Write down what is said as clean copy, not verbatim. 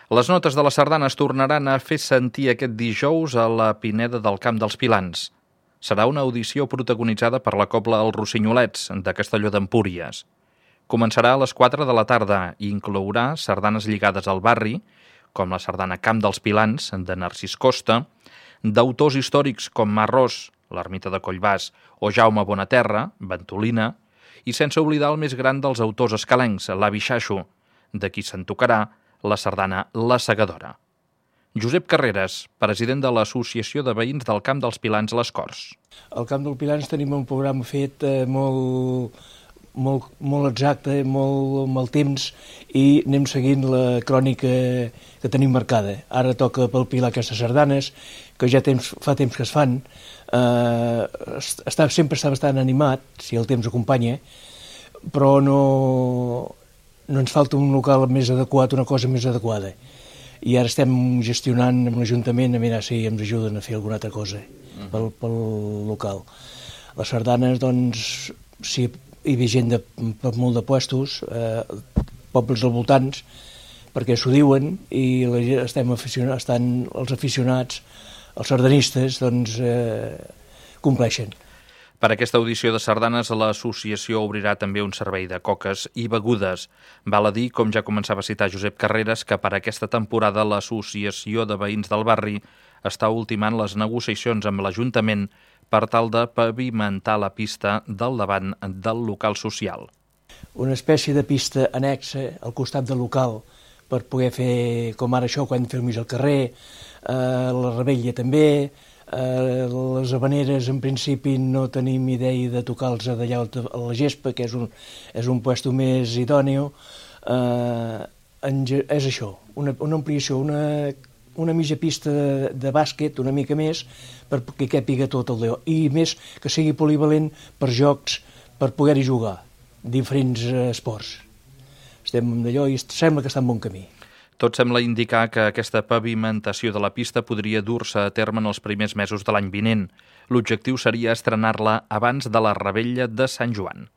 Les notes de les sardanes tornaran a fer sentir aquest dijous a la Pineda del Camp dels Pilans. Serà una audició protagonitzada per la cobla Els Rossinyolets, de Castelló d'Empúries. Començarà a les 4 de la tarda i inclourà sardanes lligades al barri, com la sardana Camp dels Pilans, de Narcís Costa, d'autors històrics com Marrós, l'ermita de Collbàs, o Jaume Bonaterra, Ventolina, i sense oblidar el més gran dels autors escalencs, l'avi Xaixo, de qui se'n tocarà la sardana La Segadora. Josep Carreras, president de l'Associació de Veïns del Camp dels Pilans Les Corts. Al Camp dels Pilans tenim un programa fet molt exacte, molt amb el temps, i anem seguint la crònica que tenim marcada. Ara toca palpilar aquestes sardanes, que ja fa temps que es fan. Sempre està bastant animat, si el temps acompanya, però no ens falta un local més adequat, una cosa més adequada. I ara estem gestionant amb l'Ajuntament a mirar si ens ajuden a fer alguna altra cosa pel local. Les sardanes, doncs, sí, hi havia gent per molt de puestos, pobles al voltants, perquè s'ho diuen, i estan els aficionats, els sardanistes, doncs, compleixen. Per aquesta audició de sardanes, l'associació obrirà també un servei de coques i begudes. Val a dir, com ja començava a citar Josep Carreras, que per aquesta temporada l'Associació de Veïns del Barri està ultimant les negociacions amb l'Ajuntament per tal de pavimentar la pista del davant del local social. Una espècie de pista annexa al costat del local per poder fer, com ara això, quan fem al carrer, la Rebella també. Les habaneres, en principi, no tenim idea de tocar-los d'allà a la gespa, que és un puesto més idòneo. És això, una ampliació, una mitja pista de bàsquet, una mica més, perquè càpiga tot el Déu. I més, que sigui polivalent per jocs, per poder-hi jugar, diferents esports. Estem d'allò i sembla que està en bon camí. Tot sembla indicar que aquesta pavimentació de la pista podria dur-se a terme en els primers mesos de l'any vinent. L'objectiu seria estrenar-la abans de la Rebella de Sant Joan.